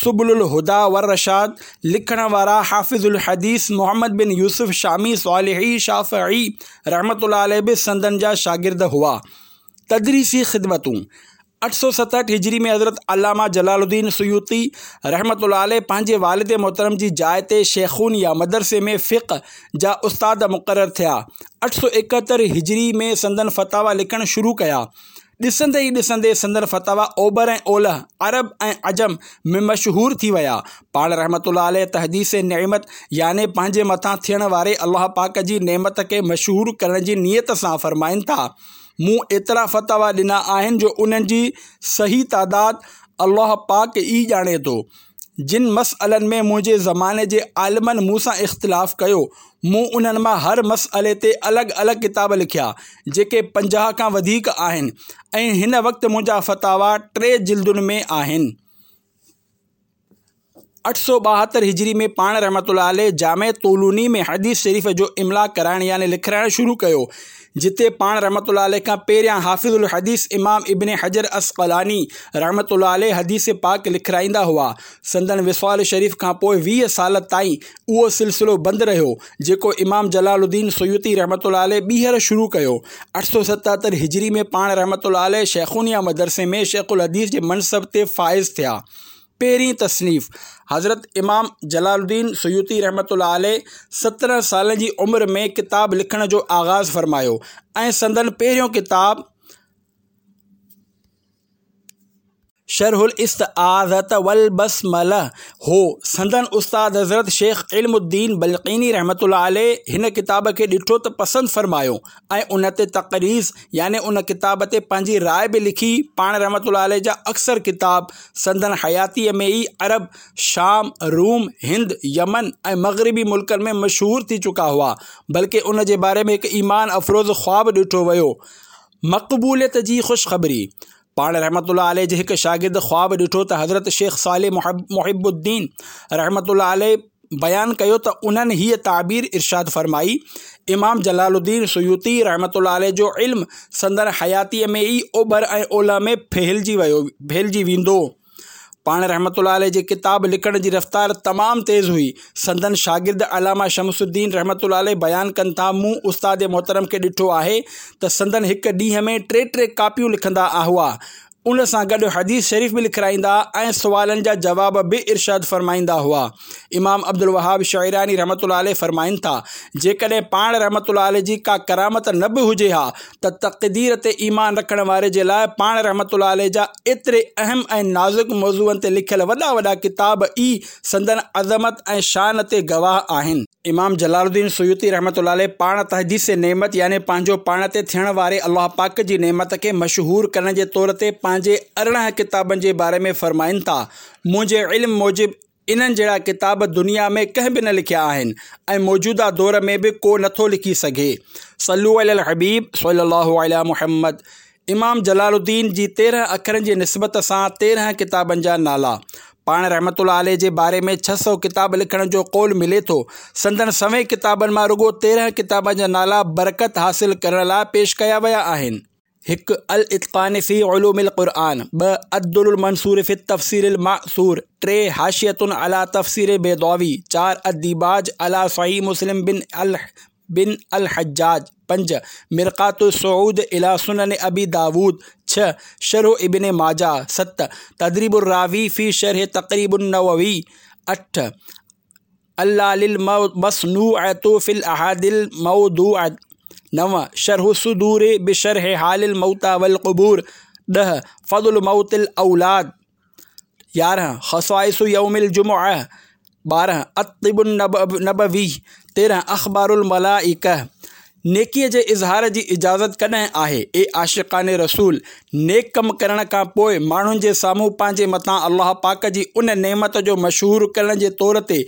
سبل الهديٰ والرشاد لکڻ وارا حافظ الحديث محمد بن يوسف شامي صالحي شافعي رحمة الله عليه به سندن جا شاگرد هئا. تدريسي خدمتون، 867 هجري ۾ حضرت علامه جلال الدين سيوطي رحمة الله عليه پنهنجي والد محترم جي جاء تي شيخونيه مدرسي ۾ فقه جا استاد مقرر ٿيا. 871 هجري ۾ سندن فتاويٰ لکڻ شروع ڪيا. ڏسندي ئي ڏسندي سندن فتاويٰ اوڀر ۽ اولهه، عرب ۽ عجم ۾ مشهور ٿي ويا. پاڻ رحمة الله عليه تحديث نعمت يعني پنهنجي مٿان ٿيڻ واري الله پاڪ جي نعمت کي مشهور ڪرڻ جي نيت سان فرمائن ٿا، مون ايترا فتاويٰ ڏنا آهن جو انهن جي صحيح تعداد الله پاڪ ئي ڄاڻي ٿو. جن مسئلن ۾ منهنجي زماني جي عالمن مون سان اختلاف ڪيو، مون انهن مان هر مسئلي تي الڳ الڳ ڪتاب لکيا، جيڪي 50 کان وڌيڪ آهن ۽ هن وقت منهنجا فتاويٰ ٽي جلدن ۾ آهن. 872 هجري ۾ پاڻ رحمة الله عليه جامع طولوني ۾ حديث شريف جو املاء ڪرائڻ يعني لکرائڻ شروع ڪيو، جتي پاڻ رحمة الله عليه کان پهريان حافظ الحديث امام ابن حجر عسقلاني رحمة الله عليه حديث پاڪ لکرائيندا هئا. سندن وصال شريف کان پوء 20 سال تائين اهو سلسلو بند رهيو، جيڪو امام جلال الدين سيوطي رحمة الله عليه ٻيهر شروع ڪيو. 877 هجري ۾ پاڻ رحمة الله عليه شيخونيه مدرسي ۾ شيخ الحديث جي منصب تي فائز ٿيا. پهرين تصنيف، حضرت امام جلال الدين سيوطي رحمة الله عليه 17 سالن جي عمر ۾ ڪتاب لکڻ جو آغاز فرمايو ۽ سندن پهريون ڪتاب شرح الاستعاذة والبسمله هو. سندن استاد حضرت شيخ علم الدين بلقيني رحمة الله عليه هن ڪتاب کي ڏٺو ته پسند فرمايو ۽ ان تي تقريظ يعني ان ڪتاب تي پنهنجي راء به لکي. پاڻ رحمة الله عليه جا اڪثر ڪتاب سندن حياتيء ۾ ئي عرب، شام، روم، هند، يمن ۽ مغربي ملڪن ۾ مشهور ٿي چڪا هئا، بلڪه ان جي باري ۾ هڪ ايمان افروز خواب ڏٺو ويو. مقبوليت جي خوشخبري، پاڻ رحمة الله عليه جي هڪ شاگرد خواب ڏٺو ته حضرت شيخ صالح محب الدين رحمة الله عليه بيان ڪيو ته انهن هيء تعبير ارشاد فرمائي، امام جلال الدين سيوطي رحمة الله عليه جو علم سندن حياتيء ۾ ئي اوڀر ۽ اولهه ۾ ڦهلجي ويو ڦهلجي ويندو. پاڻ رحمة الله عليه جي ڪتاب لکڻ جي رفتار تمام تيز هئي. سندن شاگرد علامه شمس الدين رحمة الله عليه بيان ڪن ٿا، مون استاد محترم کي ڏٺو آهي ته سندن هڪ ڏينهن ۾ ٽي ٽي ڪاپيون لکندا هئا. ان سان گڏ حديث شريف به لکرائيندا ۽ سوالن جا جواب به ارشاد فرمائيندا هئا. امام عبدالوهاب شعراني رحمة الله عليه فرمائن ٿا، جيڪڏهن پاڻ رحمة الله عليه جي ڪا ڪرامت نه به هجي ها ته تقدير تي ايمان رکڻ واري جي لاء پاڻ رحمة الله عليه جا ايتري اهم ۽ نازڪ موضوعن تي لکيل وڏا وڏا ڪتاب ئي سندن عظمت ۽ شان تي گواهه آهن. امام جلال الدين سيوطي رحمة الله عليه پاڻ تحديث نعمت يعني پنهنجو پاڻ تي ٿيڻ واري الله پاڪ جي نعمت کي مشهور ڪرڻ جي طور تي پنهنجي 18 ڪتابن جي باري ۾ فرمائن ٿا، منهنجي علم موجب انهن جهڙا ڪتاب دنيا ۾ ڪنهن به نه لکيا آهن ۽ موجوده دور ۾ به ڪو نه ٿو لکي سگهي. صلو علي الحبيب صلي الله علي محمد امام جلال الدين جي 13 اکرن جي نسبت سان 13 ڪتابن جا نالا. پاڻ رحمة الله عليه جي باري ۾ 600 ڪتاب لکڻ جو قول ملي ٿو. سندن سوين ڪتابن مان رڳو 13 ڪتابن جا نالا برڪت حاصل ڪرڻ لاء پيش ڪيا ويا آهن. 1 الاتقان في علوم القرآن، 2 الدر المنثور في التفسير الماثور، 3 حاشية علي تفسير البيضاوي، 4 الديباج علي صحيح مسلم بن بن الحجاج، 5 مرقاة الصعود الي سنن ابي داود، 6 شرح ابن ماجه، 7 تدريب الراوي في شرح تقريب النووي، 8 العلل المصنوعة في الاحاديث الموضوعة، 9 شرح الصدور بشرح حال الموتى والقبور، 10 فضل موت الاولاد، 11 خصائص يوم الجمعة، 12 الطب النبوي، 13 اخبار الملائڪة. نيڪيء جي اظهار جي اجازت ڪڏهن آهي؟ اي عاشقان رسول! نيڪ ڪم ڪرڻ کان پوء ماڻهن جي سامهون پنهنجي مٿان الله پاڪ جي ان نعمت جو مشهور ڪرڻ جي طور تي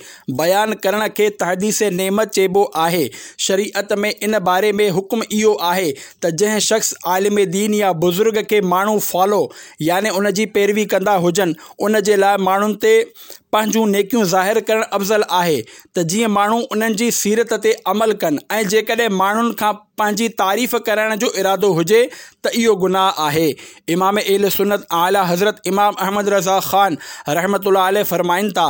بيان ڪرڻ کي تحديث نعمت چئبو آهي. شريعت ۾ ان باري ۾ حڪم اهو آهي ته جنهن شخص، عالم دين يا بزرگ کي ماڻهو فالو يعني ان جي پيروي ڪندا هجن، ان جي لاء ماڻهن تي پنهنجون نيڪيون ظاهر ڪرڻ افضل آهي ته جيئن ماڻهو انهن جي سيرت تي عمل ڪن ۽ جيڪڏهن ماڻهن کان پنهنجي تعريف ڪرائڻ جو ارادو هجي ته اهو گناهه آهي. امام اهل سنت اعليٰ حضرت امام احمد رضا خان رحمة الله عليه فرمائن ٿا،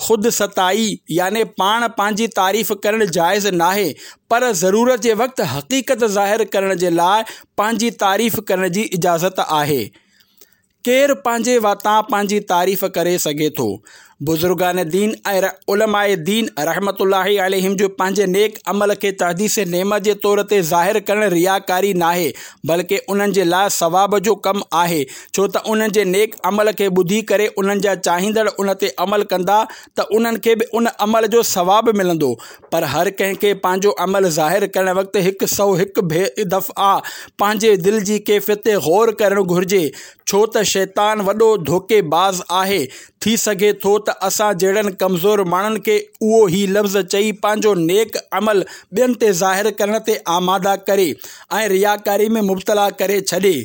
خود ستائي يعني پاڻ پنهنجي تعريف ڪرڻ جائز ناهي پر ضرورت جي وقت حقيقت ظاهر ڪرڻ جي لاء پنهنجي تعريف ڪرڻ جي اجازت آهي. ڪير پنهنجي واتان پنهنجي تعريف ڪري سگهي ٿو؟ بزرگان دين ۽ علماء دين رحمة الله عليهم جو پنهنجي نيڪ عمل کي تحديث نعمت جي طور تي ظاهر ڪرڻ رياڪاري ناهي بلڪه انهن جي لاء ثواب جو ڪم آهي ڇو ته انهن جي نيڪ عمل کي ٻڌي ڪري انهن جا چاهيندڙ ان تي عمل ڪندا ته انهن کي به ان عمل جو ثواب ملندو پر هر ڪنهن کي پنهنجو عمل ظاهر ڪرڻ وقت 101 دفعا پنهنجي دل جي ڪيفيت تي غور ڪرڻ گهرجي ڇو ته شيطان وڏو ڌوڪي باز آهي ٿي سگهي ٿو ته اسان جهڙن ڪمزور ماڻهن کي اهو هي لفظ چئي پنهنجو نيڪ عمل ٻين تي ظاهر ڪرڻ تي آماده ڪري ۽ رياڪاري ۾ مبتلا ڪري ڇڏي.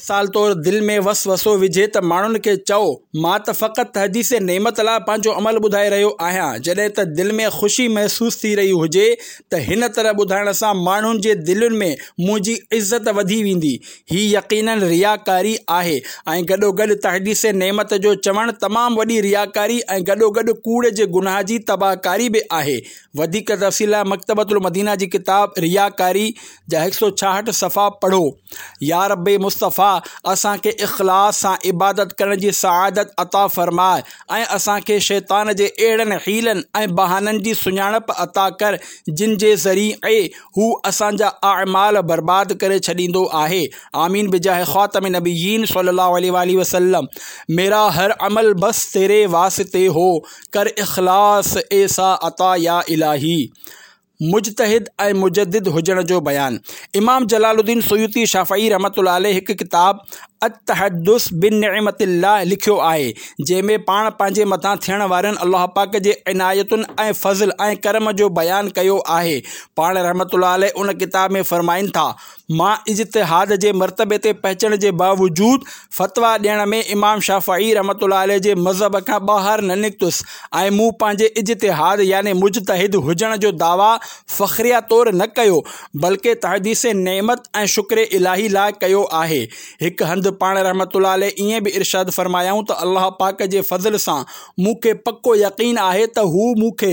مثال طور دل ۾ وسوسو وجهي ته ماڻهن کي چئو، مان ته فقط تحديث نعمت لاء پنهنجو عمل ٻڌائي رهيو آهيان، جڏهن ته دل ۾ خوشي محسوس ٿي رهي هجي ته هن طرح ٻڌائڻ سان ماڻهن جي دلين ۾ منهنجي عزت وڌي ويندي. هي يقيناً رياڪاري آهي ۽ گڏوگڏ تحديث نعمت جو چوڻ تمام وڏي رياڪاري ۽ گڏوگڏ ڪوڙ جي گناهه جي تباهڪاري به آهي. وڌيڪ تفصيل لاء مڪتبة المدينه جي ڪتاب رياڪاري جا 166 صفحا پڙهو. يا رب مصطفيٰ! اسان کي اخلاص سان عبادت ڪرڻ جي سعادت عطا فرماء ۽ اسان کي شيطان جي اهڙن حيلن ۽ بهانن جي سڃاڻپ عطا ڪر جن جي ذريعي هو اسان جا اعمال برباد ڪري ڇڏيندو آهي. آمين بجاه خاتم النبيين صلي الله عليه واٰله وسلم ميرا هر عمل بس تيري واسطي هو ڪر اخلاص ايسا عطا يا الٰهي. مجتهد ۽ مجدد هجڻ جو بيان. امام جلال الدين سيوطي شافعي رحمة الله عليه هڪ ڪتاب التحدث بنعمت الله لکيو آهي، جنهن ۾ پاڻ پنهنجي مٿان ٿيڻ وارين الله پاڪ جي عنايتن ۽ فضل ۽ ڪرم جو بيان ڪيو آهي. پاڻ رحمة الله عليه ان ڪتاب ۾ فرمائن ٿا، مان اجتهاد جي مرتبي تي پهچڻ جي باوجود فتويٰ ڏيڻ ۾ امام شافعي رحمة الله عليه جي مذهب کان ٻاهر نه نڪتس ۽ مون پنهنجي اجتهاد يعني مجتهد هجڻ جو دعويٰ فخريه طور نه ڪيو بلڪه تحديث نعمت ۽ شڪر الاهي لاء ڪيو آهي. هڪ هنڌ هنڌ پاڻ رحمة الله عليه ائين به ارشاد فرمايائون ته الله پاڪ جي فضل سان مون کي پڪو يقين آهي ته هو مون کي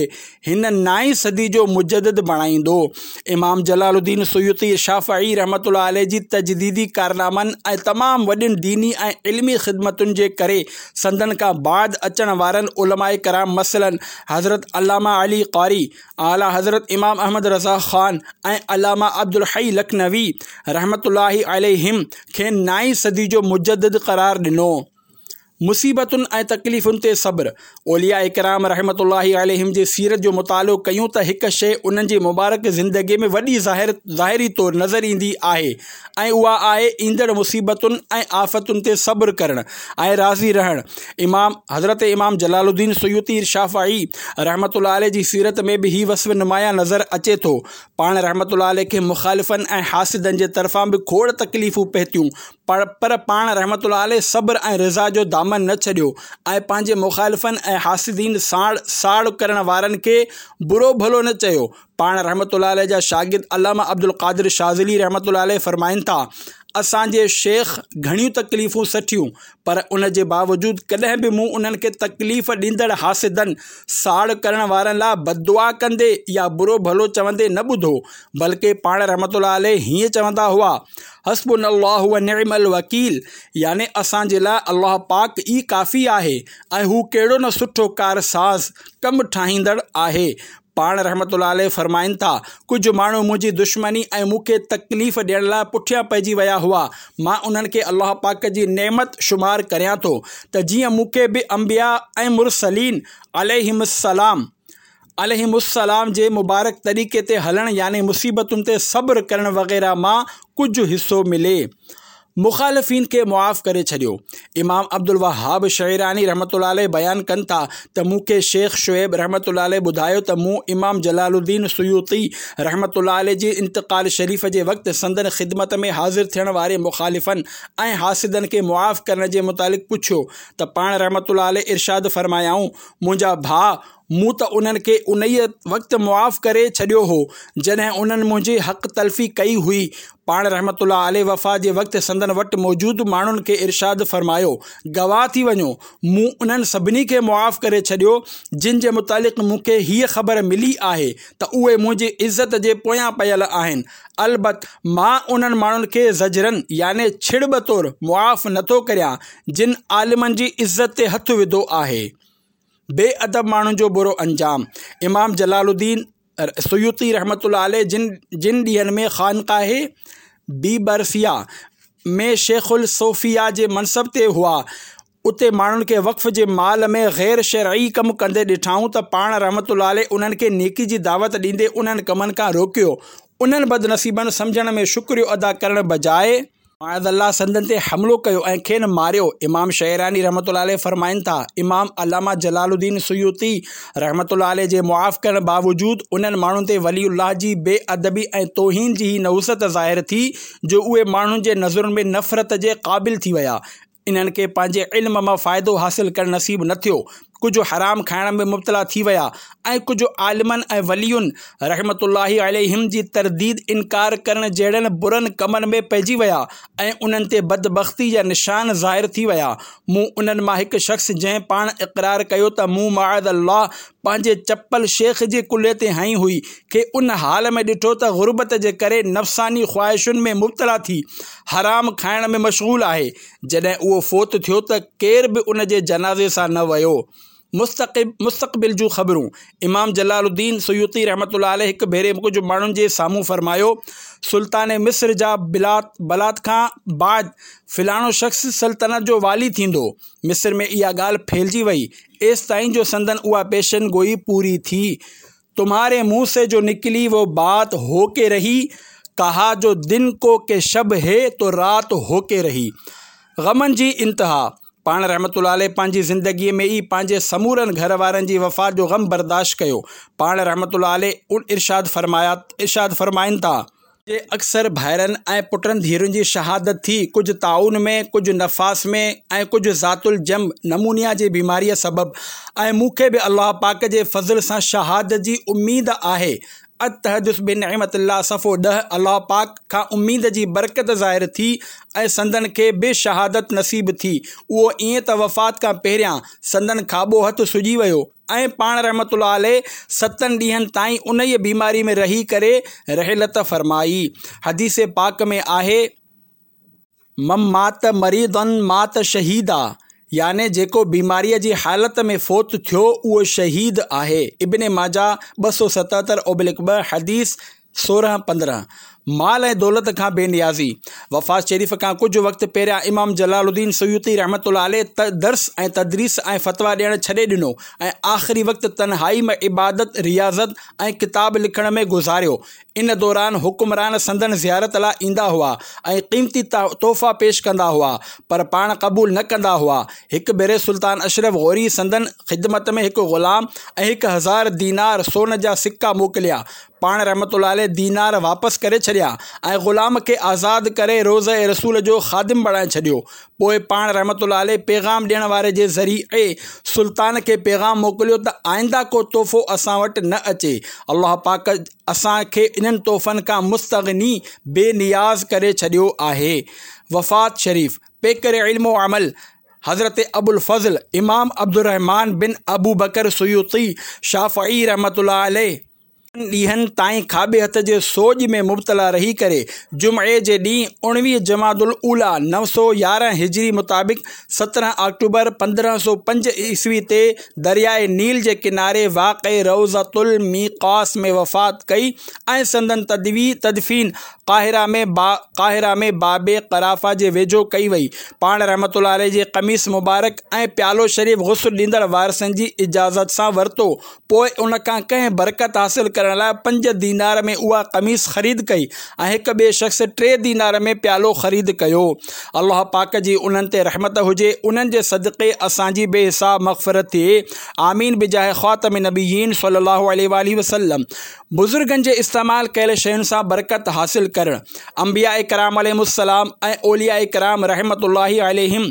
هن نائين صدي جو مجدد بڻائيندو. امام جلال الدين سيوطي شافعي رحمة الله عليه جي تجديدي ڪارنامن ۽ تمام وڏين ديني ۽ علمي خدمتن جي ڪري سندن کان بعد اچڻ وارن علماء ڪرام مثلاً حضرت علامه علي قاري، اعليٰ حضرت امام احمد رضا خان ۽ علامه عبدالحي لکنوي رحمة الله عليهم کين نائين صدي جو مجدد قرار ڏنو. مصيبتن ۽ تڪليفن تي صبر، اولياء ڪرام رحمة الله عليهم جي سيرت جو مطالعو ڪيون ته هڪ شيء انهن جي مبارڪ زندگي ۾ وڏي ظاهر ظاهري طور نظر ايندي آهي ۽ اها آهي ايندڙ مصيبتن ۽ آفتن تي صبر ڪرڻ ۽ راضي رهڻ. امام حضرت امام جلال الدين سيوطي شافعي رحمة الله عليه جي سيرت ۾ به هي وصف نمايان نظر اچي ٿو. پاڻ رحمة الله عليه کي مخالفن ۽ حاسدن جي طرفان به کوڙ تڪليفون پهتيون پر پاڻ رحمة الله عليه صبر ۽ رضا جو دامن نه ڇڏيو ۽ پنهنجي مخالفن ۽ حاسدين ساڻ ساڙ ڪرڻ وارن کي برو ڀلو نه چيو. پاڻ رحمة الله عليه جا شاگرد علامه عبدالقادر شاذلي رحمة الله عليه فرمائن ٿا، اسان جي شيخ گهڻيون تڪليفون سٺيون پر ان جي باوجود ڪڏهن به مون انهن کي تڪليف ڏيندڙ حاسدن، ساڙ ڪرڻ وارن لاء بددعا ڪندي يا برو ڀلو چوندي نه ٻڌو بلڪه پاڻ رحمة الله عليه هيئن چوندا هئا، حسبنا الله ونعم الوڪيل يعني اسان جي لاء الله پاڪ ئي ڪافي آهي ۽ هو ڪهڙو نه سٺو ڪارساز، ڪم ٺاهيندڙ، آهي. پاڻ رحمة الله عليه فرمائن ٿا، ڪجهه ماڻهو منهنجي دشمني ۽ مون کي تڪليف ڏيڻ لاء پٺيان پئجي ويا هئا، مان انهن کي الله پاڪ جي نعمت شمار ڪريان ٿو ته جيئن مون کي به انبياء ۽ مرسلين عليهم السلام عليهم السلام جي مبارڪ طريقي تي هلڻ يعني مصيبتن تي صبر ڪرڻ وغيره مان ڪجهه حصو ملي. مخالفين کي معاف ڪري ڇڏيو. امام عبدالوهاب شعراني رحمة الله عليه بيان ڪن ٿا ته مون کي شيخ شعيب رحمة الله عليه ٻڌايو ته مون امام جلال الدين سيوطي رحمة الله عليه جي انتقال شريف جي وقت سندن خدمت ۾ حاضر ٿيڻ واري مخالفن ۽ حاسدن کي معاف ڪرڻ جي متعلق پڇيو ته پاڻ رحمة الله عليه ارشاد فرمايائون منهنجا ڀاء مون ته انهن کي انهيء وقت معاف ڪري ڇڏيو هو، جڏهن انهن منهنجي حق تلفي ڪئي هئي. پاڻ رحمة الله عليه وفات جي وقت سندن وٽ موجود ماڻهن کي ارشاد فرمايو، گواهه ٿي وڃو، مون انهن سڀني کي معاف ڪري ڇڏيو، جن جي متعلق مون کي هيء خبر ملي آهي ته اهي منهنجي عزت جي پويان پيل آهن. البت مان انهن ماڻهن کي زجراً يعني ڇڙٻ طور معاف نٿو ڪريان، جن عالمن جي عزت تي هٿ وڌو آهي. بي ادب ماڻهن جو برو انجام. امام جلال الدين سيوطي رحمة الله عليه جن جن ڏينهن ۾ خانقاه بيبرسيه ۾ شيخ الصوفيه جي منصب تي هئا اتي ماڻهن کي وقف جي مال ۾ غير شرعي ڪم ڪندي ڏٺائون ته پاڻ رحمة الله عليه انهن کي نيڪي جي دعوت ڏيندي انهن ڪمن کان روڪيو انهن بدنصيبن سمجهڻ ۾ شڪريو ادا ڪرڻ بجاء معاذ الله سندن تي حملو ڪيو ۽ کين ماريو. امام شعراني رحمة الله عليه فرمائن ٿا، امام علامه جلال الدين سيوطي رحمة الله عليه جي معاف ڪرڻ باوجود انهن ماڻهن تي ولي الله جي بي ادبي ۽ توهين جي هي نحوست ظاهر ٿي جو اهي ماڻهن جي نظرن ۾ نفرت جي قابل ٿي ويا. انهن کي پنهنجي علم مان فائدو حاصل ڪرڻ نصيب نه ٿيو. ڪجهه حرام کائڻ ۾ مبتلا ٿي ويا ۽ ڪجهه عالمن ۽ ولين رحمة الله عليهم جي ترديد انڪار ڪرڻ جهڙن برن ڪمن ۾ پئجي ويا ۽ انهن تي بدبختي جا نشان ظاهر ٿي ويا. مون انهن مان هڪ شخص جنهن پاڻ اقرار ڪيو ته مون معاذ الله پنهنجي چپل شيخ جي ڪلهي تي هنئي هئي کي ان حال ۾ ڏٺو ته غربت جي ڪري نفساني خواهشن ۾ مبتلا ٿي حرام کائڻ ۾ مشغول آهي. جڏهن اهو فوت ٿيو ته ڪير به ان جي جنازي سان نه ويو. مستقبل جون خبرون، امام جلال الدين سيوطي رحمة الله عليه هڪ ڀيري ڪجهه ماڻهن جي سامهون فرمايو، سلطان مصر جا بلات کان بعد فلاڻو شخص سلطنت جو والي ٿيندو. مصر ۾ اها ڳالهه ڦهلجي وئي، ايستائين جو سندن اها پيشن گوئي پوري ٿي. تمهاري منهن سي جو نڪلي وو بات هو ڪي رهي، ڪها جو دن ڪو ڪي شب هي تو رات هو ڪي رهي. غمن جي انتها، پاڻ رحمة الله عليه پنهنجي زندگيء ۾ ئي پنهنجي سمورن گهر وارن جي وفات جو غم برداشت ڪيو. پاڻ رحمة الله عليه ارشاد فرمايا ارشاد فرمائن ٿا. جي اڪثر ڀائرن ۽ پٽن ڌيئرن جي شهادت ٿي، ڪجهه طاعون ۾، ڪجهه نفاس ۾ ۽ ڪجهه ذات الجنب، نمونيا جي بيماريء سبب، ۽ مون کي به الله پاڪ جي فضل سان شهادت جي اميد آهي. التحدث بنعمت الله صفحو 10 الله پاڪ کان اميد جي برڪت ظاهر ٿي ۽ سندن کي به شهادت نصيب ٿي. اهو ائين ته وفات کان پهريان سندن کاٻو هٿ سڄي ويو ۽ پاڻ رحمة الله عليه ستن ڏينهن تائين انهيء بيماري ۾ رهي ڪري رحلت فرمائي. حديث پاڪ ۾ آهي. من مات مريضا مات شهيدا يعني جيڪو بيماريء جي حالت ۾ فوت ٿيو اهو شهيد آهي. ابن ماجه 277/2 حديث 16 15. مال ۽ دولت کان بي نيازي. وفات شريف کان ڪجهه وقت پهريان امام جلال الدين سيوطي رحمة الله عليه درس ۽ تدريس ۽ فتويٰ ڏيڻ ڇڏي ڏنو ۽ آخري وقت تنهائي ۾ عبادت، رياضت ۽ ڪتاب لکڻ ۾ گذاريو. ان دوران حڪمران سندن زيارت لاء ايندا هئا ۽ قيمتي تحفا پيش ڪندا هئا، پر پاڻ قبول نه ڪندا هئا. هڪ ڀيري سلطان اشرف غوري سندن خدمت ۾ هڪ غلام ۽ 1000 دينار، سون جا سڪا، موڪليا. پاڻ رحمة الله عليه دينار واپس ڪري ڇڏيا ۽ غلام کي آزاد ڪري روضه رسول جو خادم بڻائي ڇڏيو. پوء پاڻ رحمة الله عليه پيغام ڏيڻ واري جي ذريعي سلطان کي پيغام موڪليو ته آئنده ڪو تحفو اسان وٽ نه اچي، الله پاڪ اسان کي انهن تحفن کان مستغني، بي نياز، ڪري ڇڏيو آهي. وفات شريف، پيڪر علم و عمل، حضرت ابوالفضل امام عبدالرحمان بن ابوبڪر سيوطي شافعي رحمة الله عليه، ڏينهن تائين کاٻي هٿ جي سوڄ ۾ مبتلا رهي ڪري جمعي جي ڏينهن 19 جمادي الاوليٰ 911 هجري مطابق 17 آڪٽوبر 1505 عيسوي تي درياء نيل جي ڪناري واقع روضة الميقاس ۾ وفات ڪئي ۽ سندن تدفين قاهره ۾ قاهره ۾ باب قرافه جي ويجهو ڪئي وئي. پاڻ رحمة الله عليه جي قميص مبارڪ ۽ پيالو شريف غسل ڏيندڙ وارثن جي اجازت سان ورتو پوء ان کان ڪنهن برڪت حاصل ڪرڻ لاء پنج دينار ۾ اها قميص خريد ڪئي ۽ هڪ ٻئي شخص ٽي دينار ۾ پيالو خريد ڪيو. الله پاڪ جي انهن تي رحمت هجي، انهن جي صدقي اسان جي بي حساب مغفرت ٿئي. آمين بجاه خاتم النبيين صلي الله عليه واٰله وسلم. بزرگن جي استعمال ڪيل شين سان برڪت حاصل ڪرڻ. انبياء ڪرام عليهم السلام ۽ اولياء ڪرام رحمة الله عليهم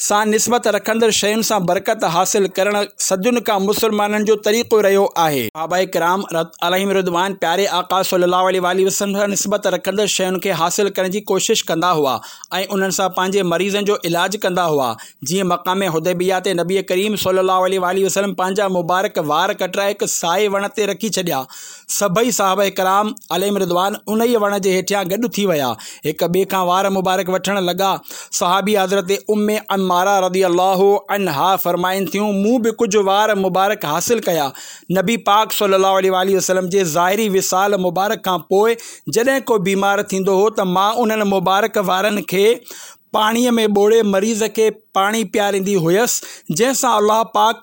سان نسبت رکندڙ شين سان برڪت حاصل ڪرڻ صدين کان مسلمانن جو طريقو رهيو آهي. صحابه ڪرام عليهم الرضوان پياري آقا صلي الله عليه واٰله وسلم سان نسبت رکندڙ شين کي حاصل ڪرڻ جي ڪوشش ڪندا هئا ۽ انهن سان پنهنجي مريضن جو علاج ڪندا هئا جيئن مقام حديبيه تي نبي ڪريم صلي الله عليه واٰله وسلم پنهنجا مبارڪ وار ڪٽرائي هڪ سائي وڻ تي رکي ڇڏيا. سڀئي صحابه ڪرام عليهم الرضوان انهيء وڻ جي هيٺيان گڏ ٿي ويا. هڪ ٻئي کان وار مبارڪ وٺڻ لڳا. صحابي حضرت ام عماره رضي الله عنها فرمائن ٿيون، مون به ڪجهه وار مبارڪ حاصل ڪيا. نبي پاڪ صلي الله عليه واٰله وسلم جي ظاهري وصال مبارڪ کان پوء جڏهن ڪو بيمار ٿيندو هو ته مان انهن مبارڪ وارن کي پاڻيء ۾ ٻوڙي مريض کي پاڻي پياريندي هيس، جنهن سان الله پاڪ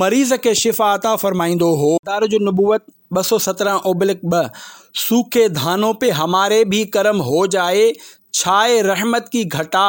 مريض کي شفا عطا فرمائيندو هو. مدارج النبوت 217/2 سوکي ڌانون پي هماري ڀي ڪرم هو جائي، ڇائي رحمت ڪي گهٽا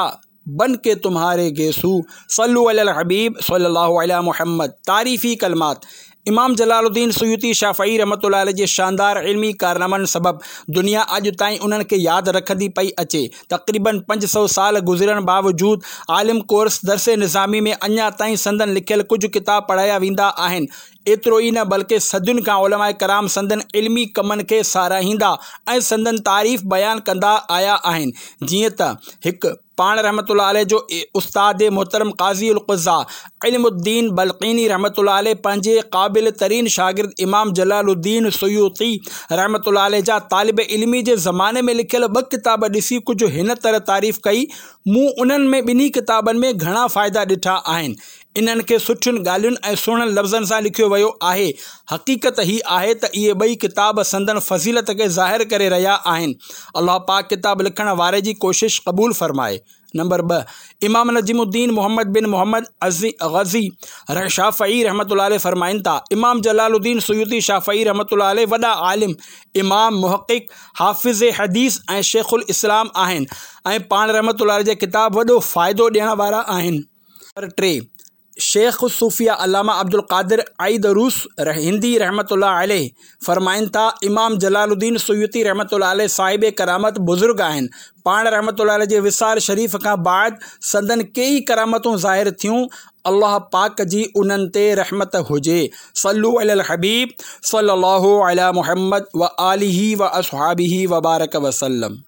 بن ڪي تمهاري گيسو، صلو علي الحبيب صلي الله علي محمد تعريفي ڪلمات امام جلال الدين سيوطي شافعي رحمة الله عليه جي شاندار علمي ڪارنامن سبب دنيا اڄ تائين انهن کي ياد رکندي پئي اچي. تقريباً 500 سال گذرڻ باوجود عالم ڪورس درس نظامي ۾ اڃا تائين سندن لکيل ڪجهه ڪتاب پڙهايا ويندا آهن. ايترو ئي نه بلڪه صدين کان علماء ڪرام سندن علمي ڪمن کي ساراهيندا ۽ سندن تعريف بيان ڪندا آيا آهن. جيئن ته، هڪ. پاڻ رحمة الله عليه جو استاد محترم قاضي القضاة علم الدين بلقيني رحمة الله عليه پنهنجي قابل ترين شاگرد امام جلال الدين سيوطي رحمة الله عليه جا طالب علمي جي زماني ۾ لکيل ٻه ڪتاب ڏسي ڪجهه هن طرح تعريف ڪئي، مون انهن ۾ ٻنهي ڪتابن ۾ گهڻا فائدا ڏٺا آهن. انهن کي سٺين ڳالهين ۽ سهڻن لفظن سان لکيو ويو آهي. حقيقت هي آهي ته اهي ٻئي ڪتاب سندن فضيلت کي ظاهر ڪري رهيا آهن. الله پاڪ ڪتاب لکڻ واري جي ڪوشش قبول فرمائي. نمبر 2، امام نجم الدين محمد بن محمد غزي شافعي رحمة الله عليه فرمائن ٿا، امام جلال الدين سيوطي شافعي رحمة الله عليه وڏا عالم، امام، محقق، حافظ حديث ۽ شيخ الاسلام آهن ۽ پاڻ رحمة الله عليه جا ڪتاب وڏو فائدو ڏيڻ وارا آهن. نمبر 3، شيخ الصوفيه علامه عبدالقادر عيدروس هندي رحمة الله عليه فرمائن ٿا، امام جلال الدين سيوطي رحمة الله عليه صاحب ڪرامت بزرگ آهن. پاڻ رحمة الله عليه جي وصال شريف کان بعد سندن ڪيئي ڪرامتون ظاهر ٿيون. الله پاڪ جي انهن تي رحمت هجي. صلو علي الحبيب صلي الله علي محمد وآله واصحابه وبارڪ وسلم.